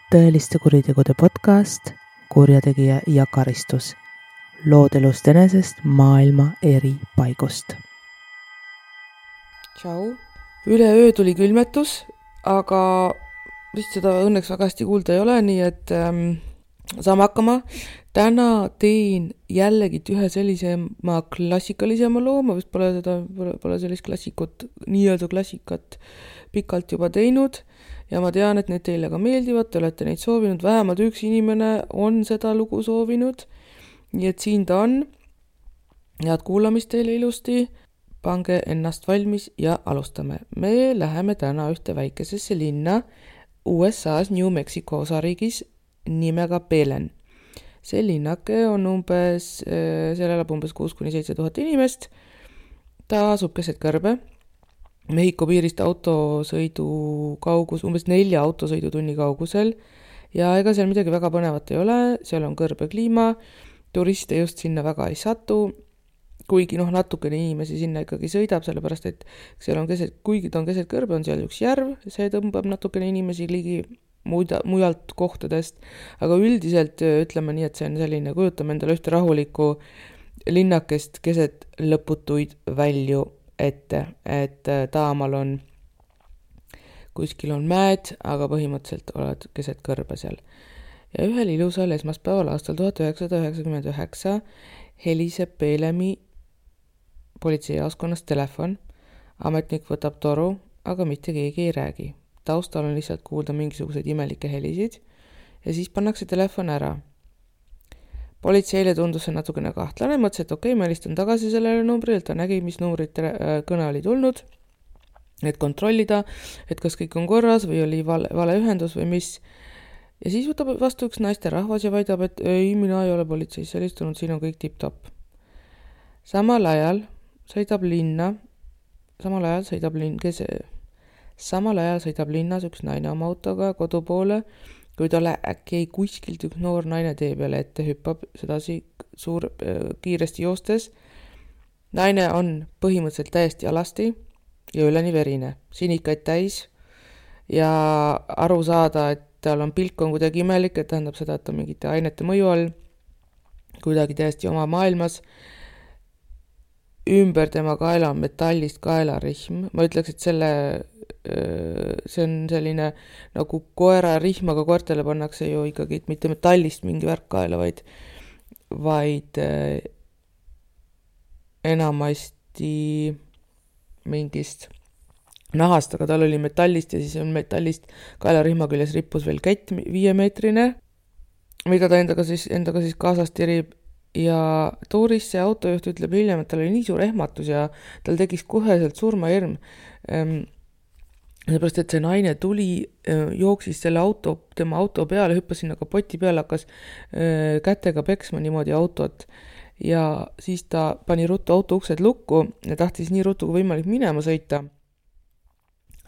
tõeliste kuritegude podcast Kurjategija ja karistus. Lood elust enesest maailma eri paigust. Tšau. Üleöö tuli külmetus, aga vist seda õnneks väga hästi kuulda ei ole, nii et saame hakkama. Täna teen jällegi ühe sellisema klassikalisema loo, ma vist pole sellist nii-öelda klassikat pikalt juba teinud ja ma tean, et need teile ka meeldivad, te olete neid soovinud, vähemalt üks inimene on seda lugu soovinud, nii et siin ta on. Head kuulamist teile ilusti, pange ennast valmis ja alustame. Me läheme täna ühte väikesesse linna USA's New Mexico osariigis nimega Belen. See linnake on seal elab umbes 6-7 tuhat inimest. Ta asub keset kõrbe. Mehhiko piirist autosõidu kaugus, umbes 4 autosõidutunni kaugusel. Ja ega seal midagi väga põnevat ei ole, seal on kõrbe kliima, turiste just sinna väga ei satu, kuigi natukene inimesi sinna ikkagi sõidab, sellepärast et seal on kuigi ta on keset kõrbe, on seal üks järv, see tõmbab natukene inimesi ligi mujalt kohtadest, aga üldiselt ütleme nii, et see on selline, kujutame endale ühte rahulikku linnakest keset lõputuid välju ette, et taamal on, kuskil on mäed, aga põhimõtteliselt oled keset kõrbe seal. Ja ühel ilusal esmaspäeval aastal 1999 heliseb Belemi politseijaoskonnast telefon, ametnik võtab toru, aga mitte keegi ei räägi. Taustal on lihtsalt kuulda mingisuguseid imelikke helisid ja siis pannakse telefon ära. Politseile tundus see natukene kahtlane, mõtles, et okei, ma helistan tagasi sellele numbrile, ta nägi, mis numbrid kõne oli tulnud, et kontrollida, et kas kõik on korras või oli vale ühendus või mis. Ja siis võtab vastu üks naisterahvas ja väidab, et ei, mina ei ole politseis helistunud, siin on kõik tipp-topp. Samal ajal sõidab linnas üks naine oma autoga kodu poole, kui talle äkki kuskilt üks noor naine tee peale ette hüppab sedasi kiiresti joostes. Naine on põhimõtteliselt täiesti alasti ja üleni verine, sinikaid täis ja aru saada, et tal on pilk on kuidagi imelik, et tähendab seda, et ta mingite ainete mõju all, kuidagi täiesti oma maailmas. Ümber tema kaela on metallist kaelarihm. Ma ütleks, et see on selline nagu koerarihm, aga koertele pannakse ju ikkagi mitte metallist mingi värk kaela, vaid enamasti mingist nahast, aga tal oli metallist ja siis on metallist kaelarihma küljes rippus veel kett 5-meetrine, mida ta endaga siis kaasas tirib. Ja Tuuris see autojuht ütleb hiljem, et tal oli nii suur ehmatus ja tal tekkis koheselt surmahirm. Seepärast, et see naine tuli, jooksis tema auto peale, hüppas sinna kapoti peale, hakkas kätega peksma niimoodi autot ja siis ta pani ruttu auto uksed lukku ja tahtis nii ruttu kui võimalik minema sõita.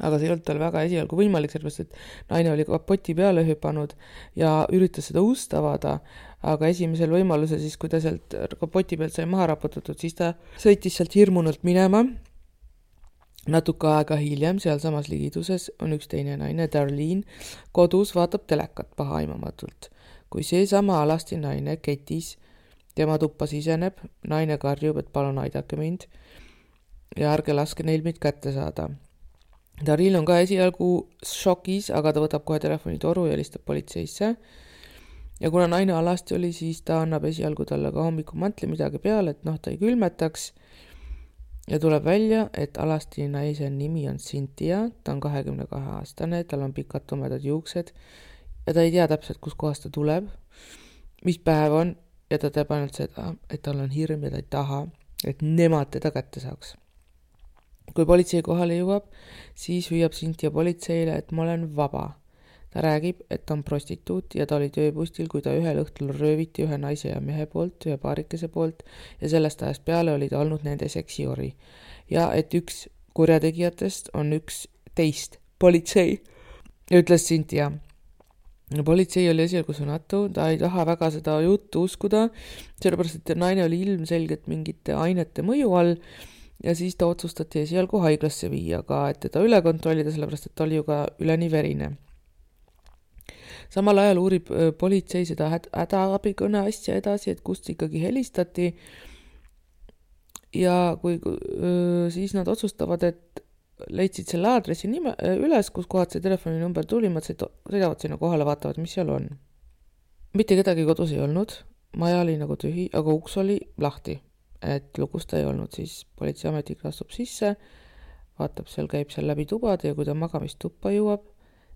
Aga see ei olnud tal väga esialgu võimalik, sellepärast, et naine oli kapoti peale hüpanud ja üritas seda ust avada, aga esimesel võimaluse siis, kui ta sealt kapoti pealt sai maha raputatud, siis ta sõitis sealt hirmunult minema. Natuke aega hiljem, seal samas ligiduses, on üks teine naine, Darlene, kodus vaatab telekat pahaimamatult. Kui see sama alasti naine ketis tema tuppa siseneb, naine karjub, et palun aidake mind ja ärge laske neil mind kätte saada. Darlene on ka esialgu šokis, aga ta võtab kohe telefoni toru ja helistab politseisse. Ja kuna naine alasti oli, siis ta annab esialgu talle ka hommikumantli midagi peale, et ta ei külmetaks. Ja tuleb välja, et alasti naise nimi on Cynthia, ta on 22-aastane, tal on pikad tumedad juuksed ja ta ei tea täpselt, kus kohast ta tuleb, mis päev on ja ta teab ainult seda, et tal on hirm ja ta ei taha, et nemad teda kätte saaks. Kui politsei kohale jõuab, siis hüüab Cynthia politseile, et ma olen vaba. Ta räägib, et ta on prostituut ja ta oli tööpustil, kui ta ühel õhtul rööviti ühe naise ja mehe poolt, ühe paarikese poolt ja sellest ajast peale oli ta olnud nende seksiori. Ja et üks kurjategijatest on üks teist politsei, ütles Cynthia. Politsei oli esialgu sõnatu, ta ei taha väga seda juttu uskuda, sellepärast, et naine oli ilmselgelt mingite ainete mõju all ja siis ta otsustati esialgu haiglasse viia ka, et teda üle kontrollida, sellepärast, et ta oli ju ka üleni verine. samal ajal uurib politsei seda hädaabikõne asja edasi, et kust ikkagi helistati. Ja kui siis nad otsustavad, et leidsid selle aadressi üles, kus kohad see telefoninumber tuli, nad sõidavad sinna kohale, vaatavad, mis seal on. Mitte kedagi kodus ei olnud, maja oli nagu tühi, aga uks oli lahti, et lukust ei olnud, siis politseiametnik astub sisse, vaatab, seal käib seal läbi tubade ja kui ta magamistuppa jõuab,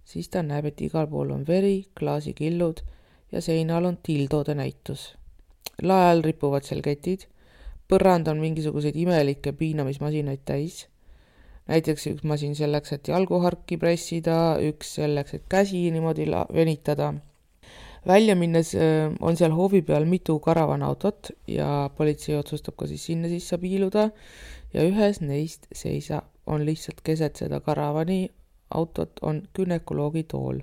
siis ta näeb, et igal pool on veri, klaasikillud ja seinal on tildode näitus. Lael ripuvad seal ketid, põrand on mingisuguseid imelikke piinamismasinaid täis. Näiteks üks masin selleks, et jalguharki pressida, üks selleks, et käsi niimoodi venitada. Välja minnes on seal hoovi peal mitu karavanautot ja politsei otsustab ka siis sinna sisse piiluda ja ühes neist on lihtsalt keset seda karavani autot on günekoloogi tool.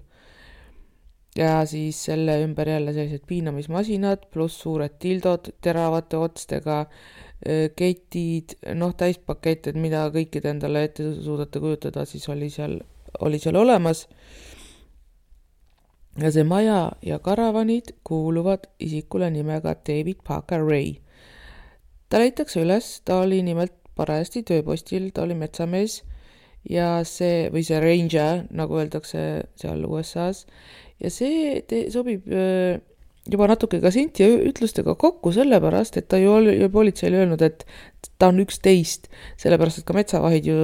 Ja siis selle ümber jälle sellised piinamismasinad pluss suured tildod teravate otstega, ketid, täispakett, et mida kõikide endale ette suudate kujutada, siis oli seal olemas. Ja see maja ja karavanid kuuluvad isikule nimega David Parker Ray. Ta leitakse üles, ta oli nimelt parajasti tööpostil, ta oli metsamees ja see ranger, nagu öeldakse seal USA-s, ja see sobib juba natuke ka Cynthia ütlustega kokku sellepärast, et ta ju oli politseile öelnud, et ta on 11, sellepärast, et ka metsavahid ju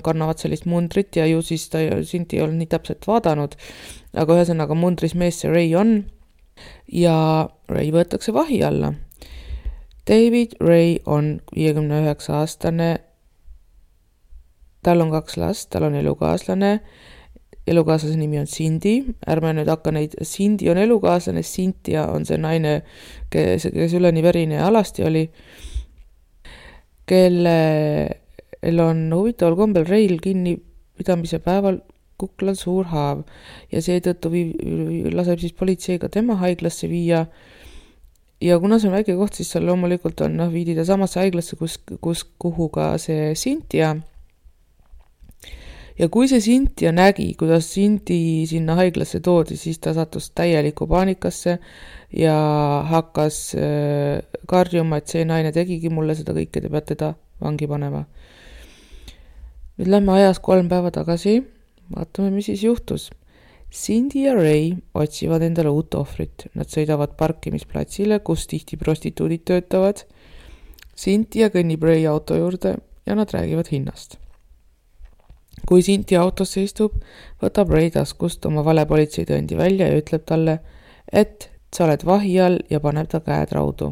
kannavad sellist mundrit ja ju siis Cynthia ei olnud nii täpselt vaadanud, aga ühesõnaga mundris mees see Ray on ja Ray võetakse vahi alla. David Ray on 59-aastane, tal on 2 last, tal on elukaaslase nimi on Cindy, ärme nüüd hakka neid, Cindy on elukaaslane, Cynthia on see naine, kes üleni verine ja alasti oli, kellel on huvitaval kombel Rayl kinnipidamise päeval kuklal suur haav ja seetõttu laseb siis politseiga tema haiglasse viia ja kuna see on väike koht, siis seal loomulikult on viidi ta samasse haiglasse, kuhu ka see Cynthia. Ja kui see Cynthia nägi, kuidas Cindy sinna haiglasse toodi, siis ta sattus täieliku paanikasse ja hakkas karjuma, et see naine tegigi mulle seda kõike, te peate ta vangi panema. Nüüd lähme ajas 3 päeva tagasi, vaatame, mis siis juhtus. Cindy ja Ray otsivad endale uut ohvrit. Nad sõidavad parkimisplatsile, kus tihti prostituudid töötavad. Cynthia kõnnib Ray auto juurde ja nad räägivad hinnast. Kui Cynthia autosse istub, võtab Ray taskust oma valepolitseitõendi välja ja ütleb talle, et sa oled vahi all ja paneb ta käed raudu.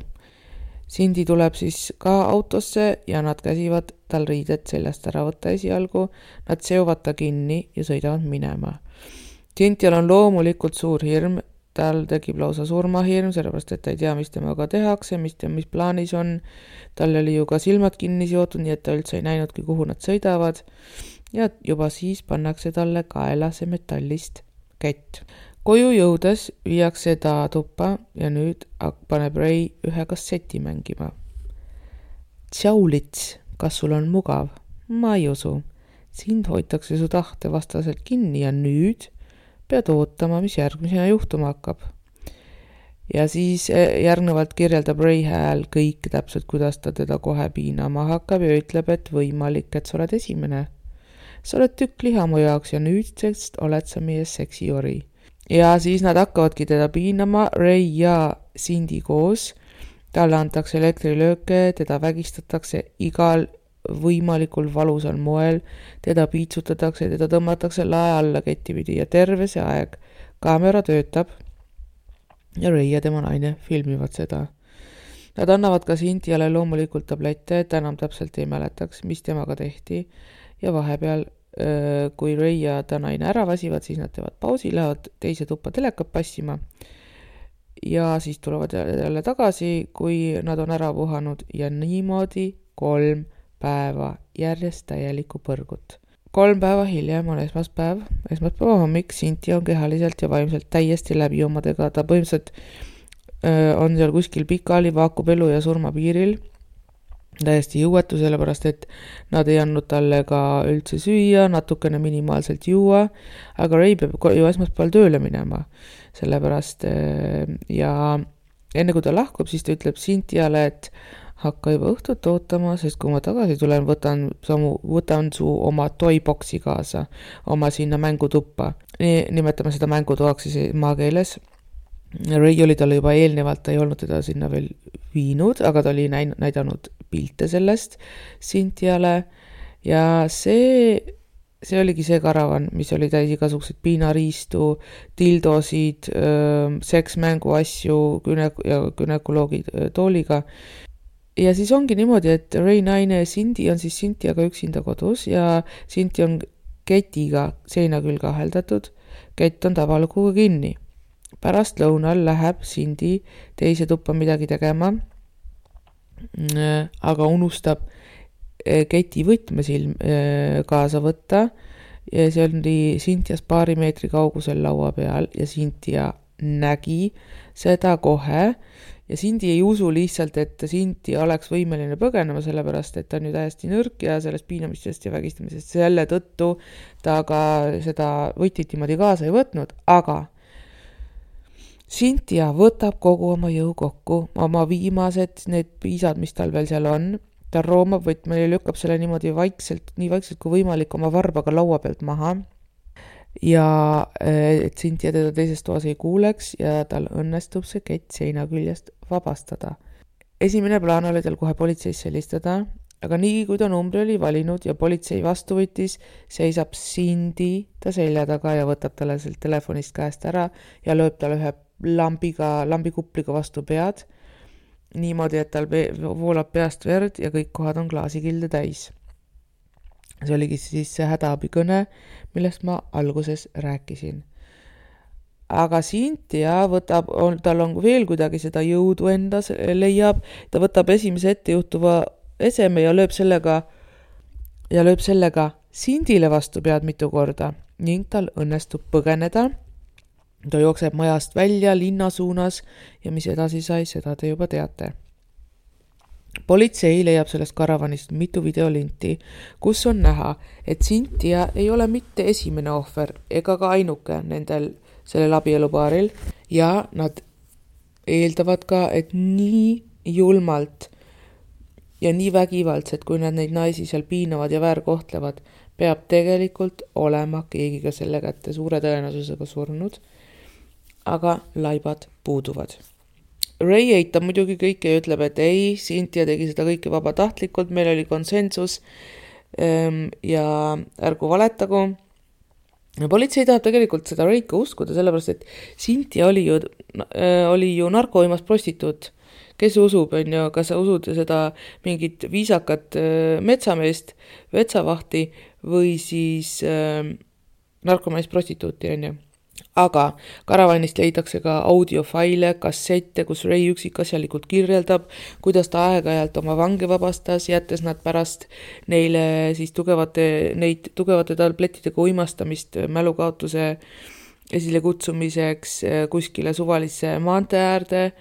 Cindy tuleb siis ka autosse ja nad käsivad tal riided seljast ära võtta esialgu, nad seovad ta kinni ja sõidavad minema. Cynthial on loomulikult suur hirm, tal tekib lausa surmahirm, sellepärast et ta ei tea, mis temaga tehakse, mis plaanis on. Tal oli ju ka silmad kinni seotud, nii et ta üldse ei näinudki, kuhu nad sõidavad. Ja juba siis pannakse talle kaela see metallist kett. Koju jõudes viiakse ta tuppa ja nüüd paneb Ray ühe kasseti mängima. Tšaulits, kas sul on mugav? Ma ei usu. Sind hoitakse su tahte vastaselt kinni ja nüüd pead ootama, mis järgmisena juhtuma hakkab. Ja siis järgnevalt kirjeldab Ray hääl kõik täpselt, kuidas ta teda kohe piinama hakkab ja ütleb, et võimalik, et sa oled esimene. Sa oled tükk liha mu jaoks ja nüüdsest oled sa meie seksiori. Ja siis nad hakkavadki teda piinama, Ray ja Cindy koos. Talle antakse elektrilööke, teda vägistatakse igal võimalikul valusal moel, teda piitsutatakse, teda tõmmatakse lae alla kettipidi ja terve see aeg kaamera töötab ja Ray ja tema naine filmivad seda. Nad annavad ka Cynthiale loomulikult tablette, et enam täpselt ei mäletaks, mis temaga tehti ja vahepeal, kui Ray ja ta naine ära vasivad, siis nad teevad pausi, lähevad teise tuppa telekat passima ja siis tulevad jälle tagasi, kui nad on ära puhanud ja niimoodi 3 päeva järjest täielikku põrgut. 3 päeva hiljem on esmaspäeva hommik, Cynthia on kehaliselt ja vaimselt täiesti läbi omadega, ta põhimõtteliselt on seal kuskil pikali, vaakub elu ja surma piiril täiesti jõuetu, sellepärast et nad ei andnud talle ka üldse süüa, natukene minimaalselt juua, aga Ray peab ju esmaspäeval tööle minema, sellepärast ja enne kui ta lahkub, siis ta ütleb Cynthiale, et hakka juba õhtut ootama, sest kui ma tagasi tulen, võtan su oma toyboxi kaasa, oma sinna mängutuppa. Nimetame seda mängutoaks siis maakeeles. Ray oli talle juba eelnevalt, ta ei olnud teda sinna veel viinud, aga ta oli näidanud pilte sellest Cynthiale ja see oligi see karavan, mis oli täis igasugused piinariistu, dildosid, seksmänguasju ja günekoloogi tooliga. Ja siis ongi niimoodi, et Ray naine Cindy on siis Cynthiaga üksinda kodus ja Cindy on ketiga seina külge aheldatud, kett on tavalukuga kinni. Pärast lõunal läheb Cindy teise tuppa midagi tegema, aga unustab keti võtmesilm kaasa võtta ja see oli Cynthias paari meetri kaugusel laua peal ja Cynthia nägi seda kohe ja Cindy ei usu lihtsalt, et Cynthia oleks võimeline põgenema, sellepärast et ta on ju täiesti nõrk ja sellest piinamistest ja vägistamisest selle tõttu ta ka seda võtit niimoodi kaasa ei võtnud, aga Cynthia võtab kogu oma jõu kokku, oma viimased need piisad, mis tal veel seal on, ta roomab võtme ja lükkab selle niimoodi nii vaikselt kui võimalik oma varbaga laua pealt maha ja et Cynthia teda teises toas ei kuuleks ja tal õnnestub see kett seina küljest vabastada. Esimene plaan oli tal kohe politseisse helistada, aga nii kui ta numbri oli valinud ja politsei vastu võttis, seisab Cindy ta selja taga ja võtab talle sealt telefonist käest ära ja lööb talle ühe lambikupliga vastu pead, niimoodi, et tal voolab peast verd ja kõik kohad on klaasikilde täis. See oligi siis see hädaabikõne, millest ma alguses rääkisin. Aga Cynthia tal on veel kuidagi seda jõudu endas leiab, ta võtab esimese ettejuhtuva eseme ja lööb sellega Cindyle vastu pead mitu korda ning tal õnnestub põgeneda. Ta jookseb majast välja linna suunas ja mis edasi sai, seda te juba teate. Politsei leiab sellest karavanist mitu videolinti, kus on näha, et Cynthia ei ole mitte esimene ohver ega ka ainuke sellel abielupaaril ja nad eeldavad ka, et nii julmalt ja nii vägivaldselt, kui nad neid naisi seal piinavad ja väärkohtlevad, peab tegelikult olema keegi ka selle kätte suure tõenäosusega surnud. Aga laibad puuduvad. Ray eitab muidugi kõike ja ütleb, et ei, Cynthia tegi seda kõike vabatahtlikult, meil oli konsensus ja ärgu valetagu. Politsei tahab tegelikult seda Ray'd ka uskuda, sellepärast, et Cynthia oli ju narkoimas prostituut. Kes usub, kas sa usud seda mingit viisakat metsameest, vetsavahti või siis narkomanis prostituuti, Aga karavanist leidakse ka audiofaile, kassette, kus Ray üksikasjalikult kirjeldab, kuidas ta aeg-ajalt oma vange vabastas, jättes nad pärast neile siis tugevate tablettidega uimastamist mälukaotuse esile kutsumiseks kuskile suvalisse maantee äärde,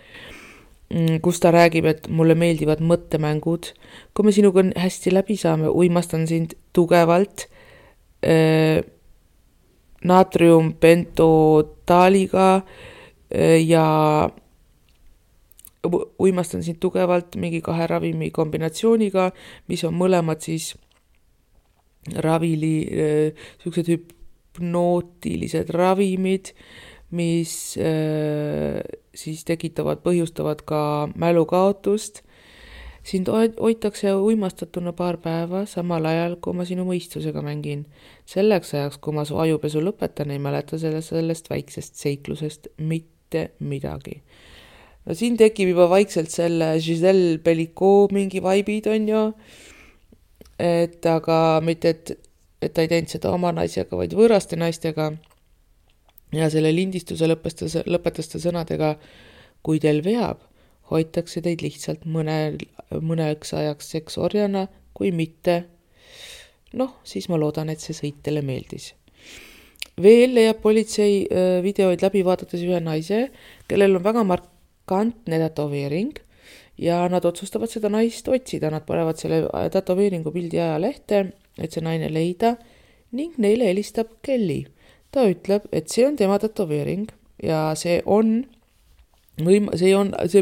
kus ta räägib, et mulle meeldivad mõttemängud. Kui me sinuga hästi läbi saame, uimastan sind tugevalt naatriumpentotaaliga ja uimastan sind tugevalt mingi 2 ravimi kombinatsiooniga, mis on mõlemad siis sellised hüpnootilised ravimid, mis siis põhjustavad ka mälukaotust. Sind hoitakse uimastatuna 2 päeva, samal ajal, kui ma sinu mõistusega mängin. Selleks ajaks, kui ma su ajupesu lõpetan, ei mäleta sellest väiksest seiklusest mitte midagi. No siin tekib juba vaikselt selle Giselle Bellicot mingi vaibid, aga mitte, et ta ei teinud seda oma naisega, vaid võõraste naistega. Ja selle lindistuse lõpetas ta sõnadega, kui teil veab, hoitakse teid lihtsalt mõneks ajaks seksorjana, kui mitte, siis ma loodan, et see sõit teile meeldis. Veel leiab politsei videoid läbi vaadates ühe naise, kellel on väga markantne tätoveering ja nad otsustavad seda naist otsida, nad panevad selle tätoveeringu pildi ajalehte, et see naine leida ning neile helistab Kelly. Ta ütleb, et see on tema tätoveering ja see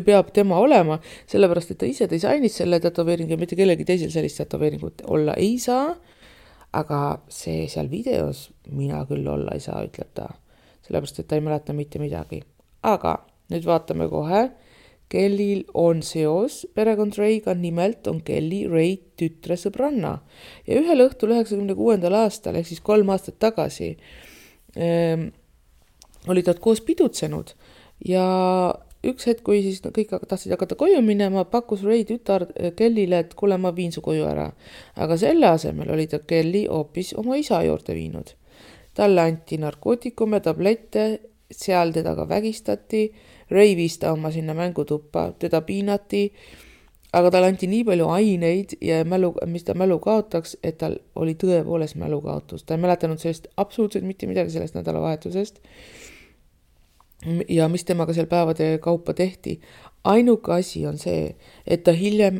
peab tema olema, sellepärast et ta ise disainis selle tätoveeringu ja mitte kellegi teisel sellist tätoveeringut olla ei saa, aga see seal videos mina küll olla ei saa, ütleb ta, sellepärast et ta ei mäleta mitte midagi. Aga nüüd vaatame kohe, Kellil on seos perekond Ray'ga, nimelt on Kelly Ray tütre sõbranna ja ühel õhtul 96. aastal ehk siis 3 aastat tagasi olid nad koos pidutsenud ja üks hetk, kui siis kõik tahtsid hakata koju minema, pakkus Ray tütar Kellile, et kuule, ma viin su koju ära. Aga selle asemel oli ta Kelly hoopis oma isa juurde viinud. Talle anti narkootikume, tablette, seal teda ka vägistati, Ray viis ta oma sinna mängutuppa, teda piinati, aga talle anti nii palju aineid ja mis ta mälu kaotaks, et tal oli tõepoolest mälukaotus. Ta ei mäletanud sellest absoluutselt mitte midagi sellest nädalavahetusest ja mis temaga seal päevade kaupa tehti. Ainuke asi on see, et ta hiljem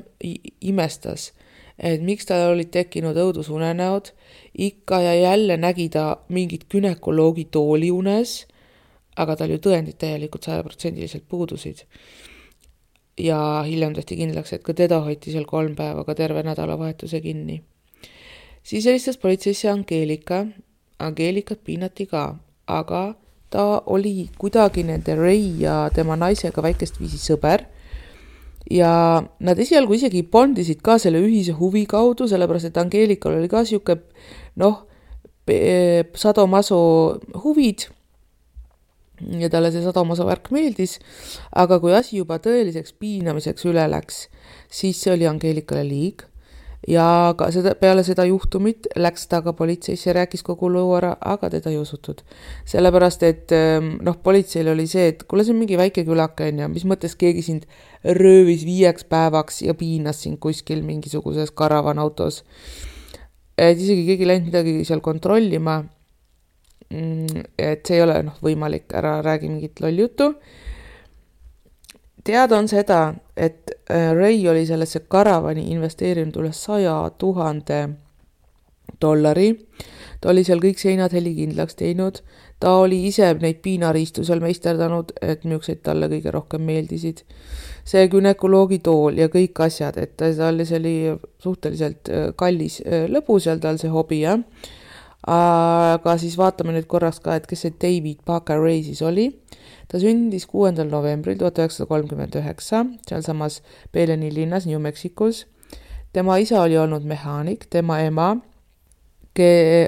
imestas, et miks tal olid tekkinud õudusunenäod, ikka ja jälle nägi ta mingit günekoloogi tooli unes, aga tal ju tõendid täielikult 100% puudusid. Ja hiljem tehti kindlaks, et ka teda hoiti seal 3 päeva ka terve nädalavahetuse kinni. Siis helistas politseisse Angeelikat piinati ka, aga ta oli kuidagi nende Ray ja tema naisega väikest viisi sõber ja nad esialgu isegi bondisid ka selle ühise huvi kaudu, sellepärast et Angeelikal oli ka siuke sadomaso huvid ja talle see sadomaso värk meeldis, aga kui asi juba tõeliseks piinamiseks üle läks, siis see oli Angeelikale liig ja ka peale seda juhtumit läks ta ka politseisse, rääkis kogu loo ära, aga teda ei usutud. Sellepärast, et politseil oli see, et kuule, see on mingi väike külake ja mis mõttes keegi sind röövis 5 päevaks ja piinas sind kuskil mingisuguses karavanautos. Et isegi keegi läinud midagi seal kontrollima, et see ei ole võimalik, ära räägi mingit lolljuttu. Teada on seda, et Ray oli sellesse karavani investeerinud üle $100,000. Ta oli seal kõik seinad helikindlaks teinud. Ta oli ise neid piinariistu seal meisterdanud, et miukseid talle kõige rohkem meeldisid. See günekoloogi tool ja kõik asjad, et talle see oli suhteliselt kallis lõbu seal tal see hobi, jah. Aga siis vaatame nüüd korraks ka, et kes see David Parker Ray siis oli. Ta sündis 6. novembril 1939, seal samas Peleni linnas New Mexicos. Tema isa oli olnud mehaanik, tema ema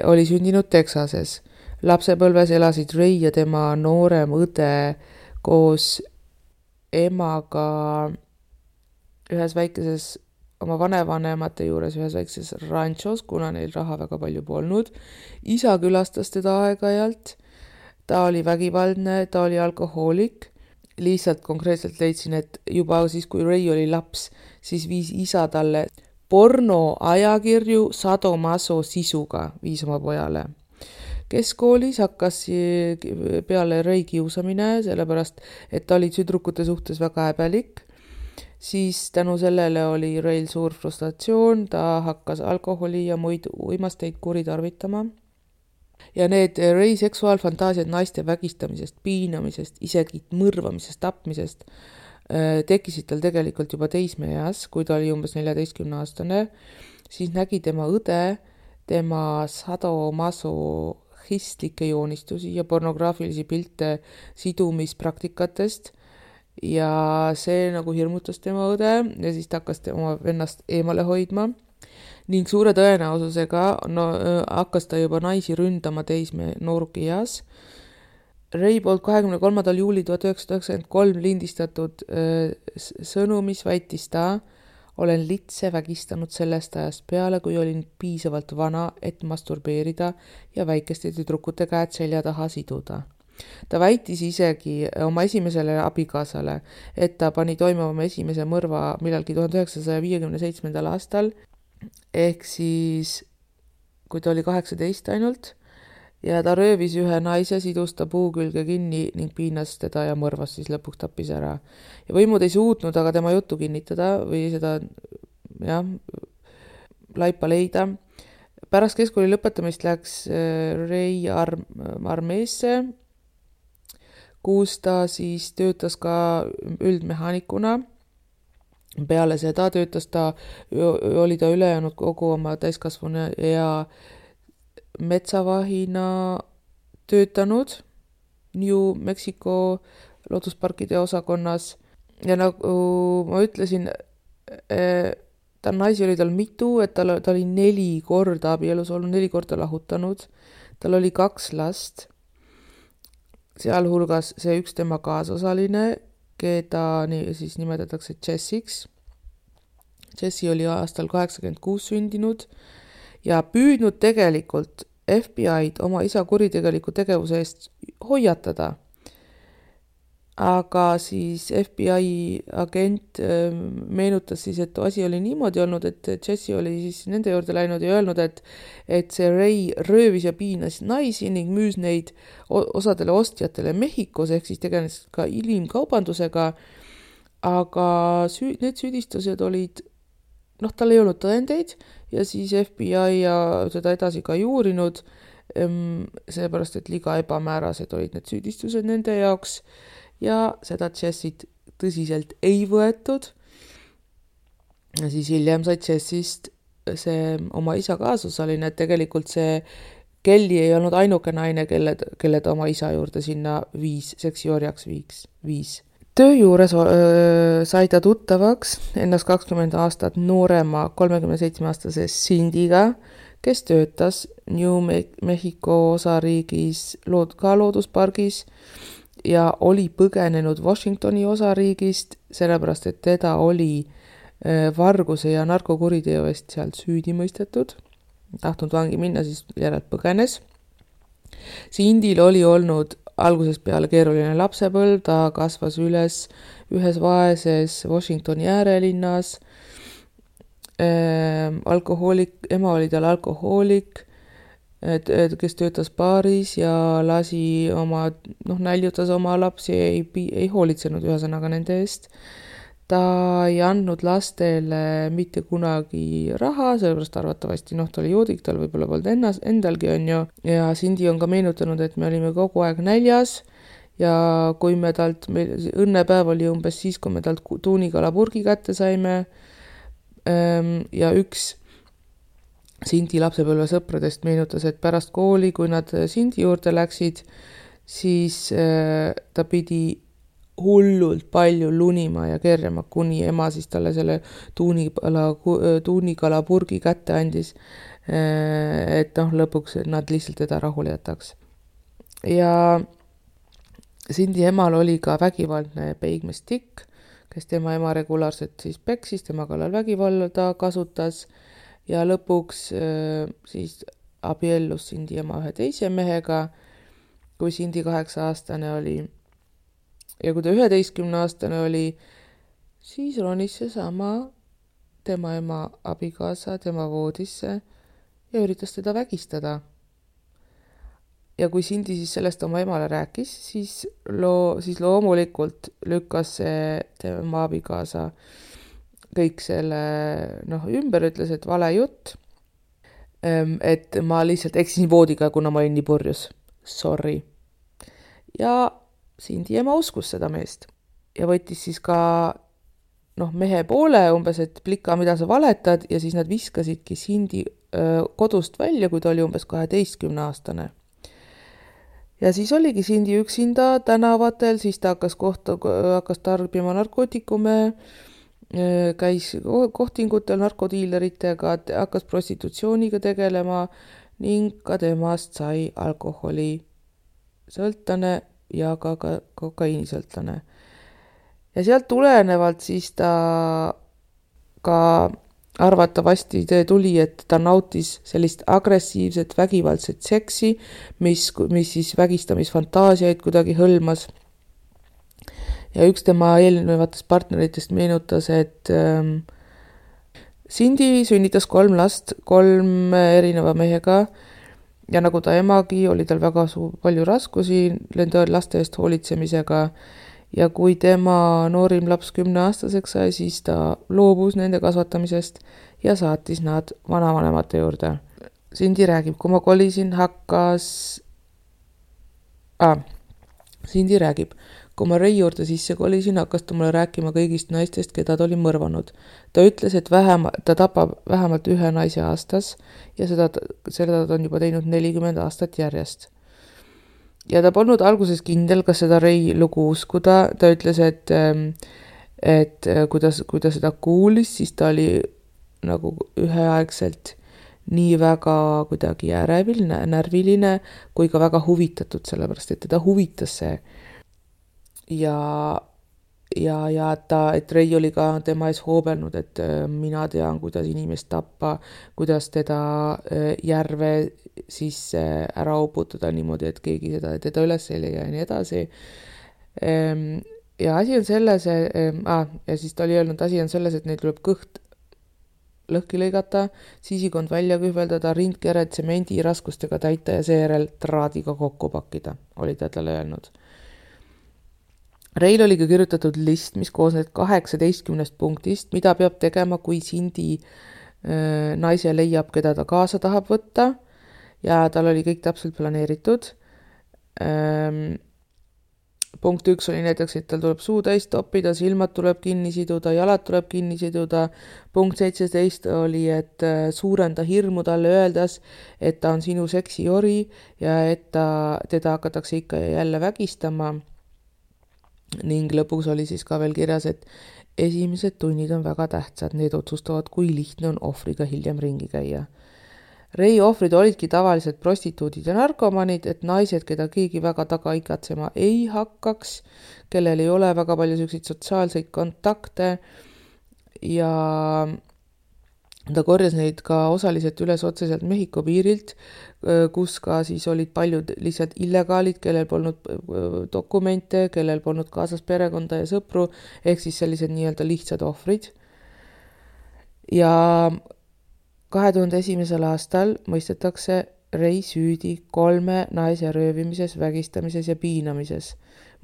oli sündinud Texases. Lapsepõlves elasid Ray ja tema noorem õde koos emaga ühes väikeses oma vanevanemate juures ühes väikses ranchos, kuna neil raha väga palju polnud. Isa külastas teda aeg-ajalt, ta oli vägivaldne, ta oli alkohoolik. Lihtsalt konkreetselt leidsin, et juba siis, kui Ray oli laps, siis viis isa talle pornoajakirju sadomaso sisuga, viis oma pojale. Keskkoolis hakkas peale Ray kiusamine, sellepärast, et ta oli tüdrukute suhtes väga häbelik. Siis tänu sellele oli Rayl suur frustratsioon, ta hakkas alkoholi ja muid uimasteid kuritarvitama. Ja need Ray seksuaalfantaasiad naiste vägistamisest, piinamisest, isegi mõrvamisest, tapmisest tekkisid tal tegelikult juba teismeeas, kui ta oli umbes 14-aastane. Siis nägi tema õde tema sadomasohhistlikke joonistusi ja pornograafilisi pilte sidumispraktikatest. Ja see nagu hirmutas tema õde ja siis ta hakkas oma vennast eemale hoidma ning suure tõenäosusega hakkas ta juba naisi ründama noorukki eas. Ray poolt 23. juuli 1993 lindistatud sõnumis väitis ta, olen litse vägistanud sellest ajast peale, kui olin piisavalt vana, et masturbeerida ja väikeste tüdrukute käed selja taha siduda. Ta väitis isegi oma esimesele abikaasale, et ta pani toimuma oma esimese mõrva millalgi 1957. aastal, ehk siis kui ta oli 18 ainult, ja ta röövis ühe naise, sidus ta puu külge kinni ning piinas teda ja mõrvas siis lõpuks tappis ära. Ja võimud ei suutnud aga tema juttu kinnitada või seda laipa leida. Pärast keskkooli lõpetamist läks Ray armeesse, kus ta siis töötas ka üldmehaanikuna. Peale seda oli ta ülejäänud kogu oma täiskasvanu ja metsavahina töötanud New Mexico loodusparkide osakonnas. Ja nagu ma ütlesin, ta naisi oli tal mitu, et ta oli 4 korda abielus olnud, 4 korda lahutanud. Tal oli 2 last, sealhulgas see üks tema kaasosaline, keda siis nimetatakse Jessiks. Jessi oli aastal 86 sündinud ja püüdnud tegelikult FBI-d oma isa kuritegeliku tegevuse eest hoiatada. Aga siis FBI agent meenutas siis, et asi oli niimoodi olnud, et Jessi oli siis nende juurde läinud ja öelnud, et see Ray röövis ja piinas naisi ning müüs neid osadele ostjatele Mehhikos, ehk siis tegeles ka inimkaubandusega, aga need süüdistused olid, tal ei olnud tõendeid ja siis FBI ja seda edasi ka ei uurinud, seepärast, et liiga ebamäärased olid need süüdistused nende jaoks. Ja seda Jessit tõsiselt ei võetud. Ja siis hiljem sai Jessist see oma isa kaasosaline, et tegelikult see Kelly ei olnud ainuke naine, kelle ta oma isa juurde sinna seksiorjaks viis. Töö juures sai ta tuttavaks ennast 20 aastat noorema 37-aastase Cindyga, kes töötas New Mexico osariigis ka looduspargis ja oli põgenenud Washingtoni osariigist, sellepärast, et teda oli varguse ja narkokuriteo eest sealt süüdi mõistetud. Tahtnud vangi minna, siis järelt põgenes. Cindyl oli olnud algusest peale keeruline lapsepõlv, ta kasvas üles ühes vaeses Washingtoni äärelinnas. Ema oli tal alkohoolik, kes töötas baaris ja lasi näljutas oma lapsi, ei hoolitsenud ühesõnaga nende eest. Ta ei andnud lastele mitte kunagi raha, sellepärast arvatavasti, ta oli joodik, tal võib-olla polnud endalgi on ju. Ja Cindy on ka meenutanud, et me olime kogu aeg näljas ja kui õnnepäev oli umbes siis, kui me talt tuunikalapurgi kätte saime ja üks Cindy lapsepõlve sõpradest meenutas, et pärast kooli, kui nad Cindy juurde läksid, siis ta pidi hullult palju lunima ja kerjama, kuni ema siis talle selle tuunikalapurgi kätte andis, et lõpuks nad lihtsalt teda rahule jätaks. Ja Cindy emal oli ka vägivaldne peigmestikk, kes tema ema regulaarselt siis peksis, tema kallal vägivalda kasutas. Ja lõpuks siis abiellus Cindy ema ühe teise mehega, kui Cindy 8-aastane oli. Ja kui ta 11-aastane oli, siis ronis seesama tema ema abikaasa tema voodisse ja üritas teda vägistada. Ja kui Cindy siis sellest oma emale rääkis, siis loomulikult lükkas see tema abikaasa kõik selle ümber, ütles, et vale jutt, et ma lihtsalt eksisin voodiga, kuna ma olin nii purjus. Sorry. Ja Cindy ema uskus seda meest ja võttis siis ka mehe poole umbes, et plika, mida sa valetad, ja siis nad viskasidki Cindy kodust välja, kui ta oli umbes 12-aastane. Ja siis oligi Cindy üksinda tänavatel, siis ta hakkas tarbima narkootikume, käis kohtingutel narkodiileritega, hakkas prostitutsiooniga tegelema ning ka temast sai alkoholi sõltlane ja ka kokaiinisõltlane. Ja sealt tulenevalt siis ta ka arvatavasti tuli, et ta nautis sellist agressiivset vägivaldset seksi, mis siis vägistamisfantaasiaid kuidagi hõlmas. Ja üks tema eelnevatest partneritest meenutas, et Cindy sünnitas 3 last 3 erineva mehega ja nagu ta emagi, oli tal väga palju raskusi nende laste eest hoolitsemisega ja kui tema noorim laps 10-aastaseks sai, siis ta loobus nende kasvatamisest ja saatis nad vanavanemate juurde. Sindi räägib, kui ma kolisin, kui ma Rei juurde sisse kolisin, hakkas ta mulle rääkima kõigist naistest, keda ta oli mõrvanud. Ta ütles, et ta tapab vähemalt ühe naise aastas ja seda ta on juba teinud 40 aastat järjest. Ja ta polnud alguses kindel, kas seda Rei lugu uskuda. Ta ütles, et kui ta seda kuulis, siis ta oli nagu üheaegselt nii väga kuidagi närviline kui ka väga huvitatud, sellepärast et teda huvitas see. Et Rei oli ka tema ees hoobelnud, et mina tean, kuidas inimest tappa, kuidas teda järve sisse ära uputada niimoodi, et keegi teda üles ei leia ja nii edasi. Ja asi on selles, ja siis ta oli öelnud, asi on selles, et neil tuleb kõht lõhki lõigata, sisikond välja kühveldada, rindkere tsemendi raskustega täita ja seejärel traadiga kokku pakkida, oli ta talle öelnud. Reil oli ka kirjutatud list, mis koosneb 18 punktist, mida peab tegema, kui Sindi naise leiab, keda ta kaasa tahab võtta ja tal oli kõik täpselt planeeritud. Punkt 1 oli näiteks, et tal tuleb suu täis toppida, silmad tuleb kinni siduda, jalad tuleb kinni siduda. Punkt 17 oli, et suurenda hirmu talle öeldes, et ta on sinu seksijori ja et teda hakatakse ikka ja jälle vägistama. Ning lõpuks oli siis ka veel kirjas, et esimesed tunnid on väga tähtsad, need otsustavad, kui lihtne on ohvriga hiljem ringi käia. Rei ohvrid olidki tavaliselt prostituudid ja narkomanid, et naised, keda keegi väga taga ikatsema ei hakkaks, kellel ei ole väga palju selliseid sotsiaalseid kontakte ja ta korjas neid ka osaliselt üles otseselt Mehhiko piirilt, kus ka siis olid paljud lihtsalt illegaalid, kellel polnud dokumente, kellel polnud kaasas perekonda ja sõpru, ehk siis sellised nii-öelda lihtsad ohvrid. Ja 2001. aastal mõistetakse Rei süüdi 3 naise röövimises, vägistamises ja piinamises.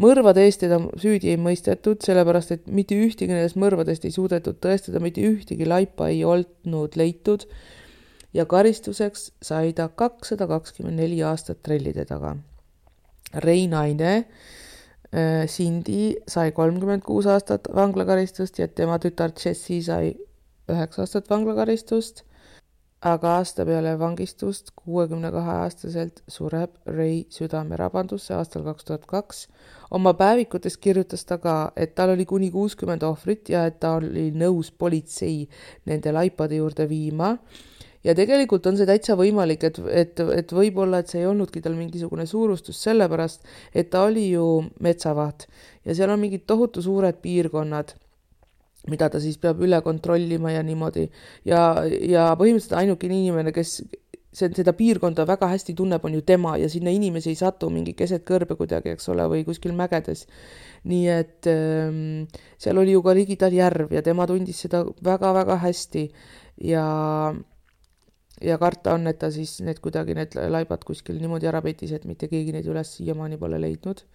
Mõrvade eest teda süüdi ei mõistetud, sellepärast et mitte ühtegi nendest mõrvadest ei suudetud tõestada, mitte ühtegi laipa ei olnud leitud ja karistuseks sai ta 224 aastat trellide taga. Rei naine Sindi sai 36 aastat vanglakaristust ja tema tütar Jessie sai 9 aastat vanglakaristust. Aga aasta peale vangistust 62-aastaselt sureb Rei südamerabanduse aastal 2002. Oma päevikutes kirjutas ta ka, et tal oli kuni 60 ohvrit ja et ta oli nõus politsei nende laipade juurde viima. Ja tegelikult on see täitsa võimalik, et võib-olla, et see ei olnudki tal mingisugune suurustus sellepärast, et ta oli ju metsavaht ja seal on mingid tohutu suured piirkonnad, mida ta siis peab üle kontrollima ja niimoodi. Ja põhimõtteliselt ainuke inimene, kes seda piirkonda väga hästi tunneb, on ju tema ja sinna inimesi ei satu mingi keset kõrbe kuidagi, eks ole, või kuskil mägedes. Nii et seal oli ju ka Rigital järv ja tema tundis seda väga-väga hästi ja karta on, et ta siis need laibad kuskil niimoodi ära petis, et mitte keegi neid üles siiamaani pole leidnud.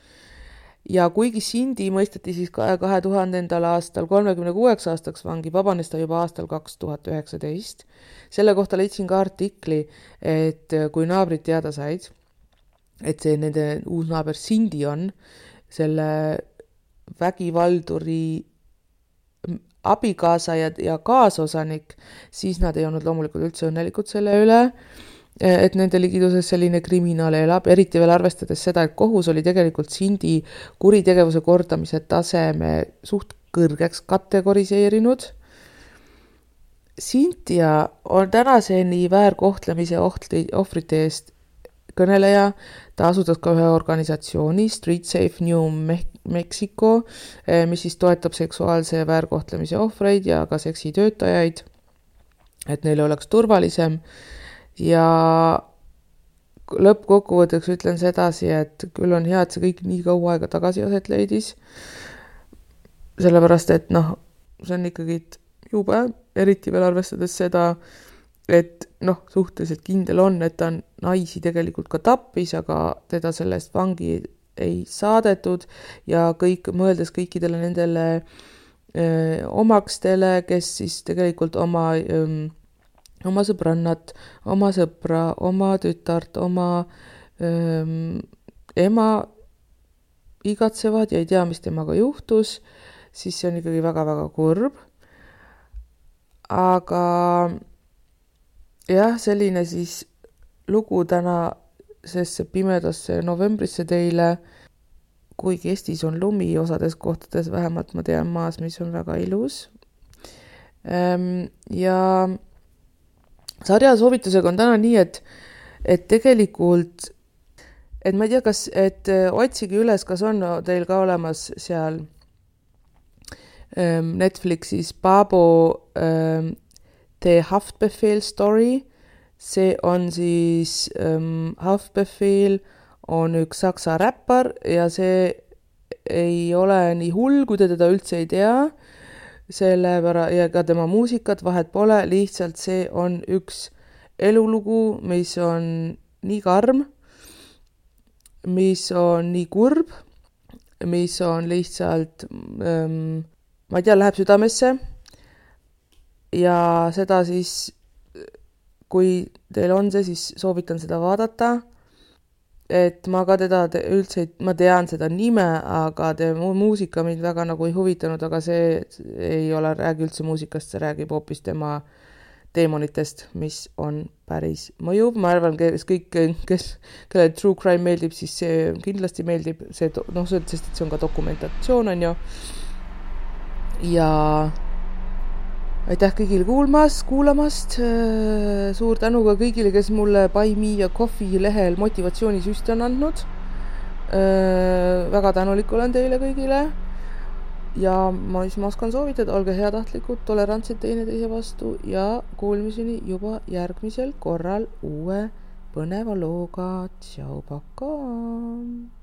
Ja kuigi Sindi mõisteti siis 2000. aastal 36 aastaks vangi, vabanes ta juba aastal 2019. Selle kohta leidsin ka artikli, et kui naabrid teada said, et see nende uus naaber Sindi on, selle vägivalduri abikaasa ja kaasosanik, siis nad ei olnud loomulikult üldse õnnelikud selle üle, et nende ligiduses selline kriminaal elab, eriti veel arvestades seda, et kohus oli tegelikult Sindi kuritegevuse kordamise taseme suht kõrgeks kategoriseerinud. Cynthia on tänaseni väärkohtlemise ohvrite eest kõneleja, ta asutas ka ühe organisatsiooni Street Safe New Mexico, mis siis toetab seksuaalse väärkohtlemise ohvreid ja ka seksitöötajaid, et neil oleks turvalisem. Ja lõppkokkuvõtteks ütlen sedasi, et küll on hea, et see kõik nii kaua aega tagasi aset leidis, sellepärast, et see on ikkagi jube, eriti veel arvestades seda, et noh, suhteliselt kindel on, et ta naisi tegelikult ka tappis, aga teda sellest vangi ei saadetud ja mõeldes kõikidele nendele omakstele, kes siis tegelikult oma sõbrannat, oma sõpra, oma tütart, oma ema igatsevad ja ei tea, mis temaga juhtus, siis see on ikkagi väga-väga kurb. Aga jah, selline siis lugu tänasesse pimedasse novembrisse teile, kuigi Eestis on lumi osades kohtades, vähemalt ma tean maas, mis on väga ilus. Ja sarja soovitusega on täna nii, et tegelikult, et ma ei tea, et otsige üles, kas on teil ka olemas seal Netflixis Babo The Haftbefehl Story. See on siis Haftbefehl on üks saksa räppar ja see ei ole nii hull, kui te teda üldse ei tea, ja ka tema muusikat vahet pole, lihtsalt see on üks elulugu, mis on nii karm, mis on nii kurb, mis on lihtsalt, ma ei tea, läheb südamesse ja seda siis, kui teil on see, siis soovitan seda vaadata. Et ma ka teda üldse, ma tean seda nime, aga muusika mind väga nagu ei huvitanud, aga see ei ole, räägi üldse muusikast, see räägib hoopis tema teemonitest, mis on päris mõjuv. Ma arvan, kelle true crime meeldib, siis see kindlasti meeldib, sest see on ka dokumentatsioon, on ju. Ja aitäh kõigile kuulamast, suur tänu ka kõigile, kes mulle Buy Me ja Coffee lehel motivatsioonisüsti on andnud. Väga tänulik olen teile kõigile ja ma oskan soovitada, olge heatahtlikud, tolerantsed teineteise vastu ja kuulmiseni juba järgmisel korral uue põneva looga. Tšau, pakaa!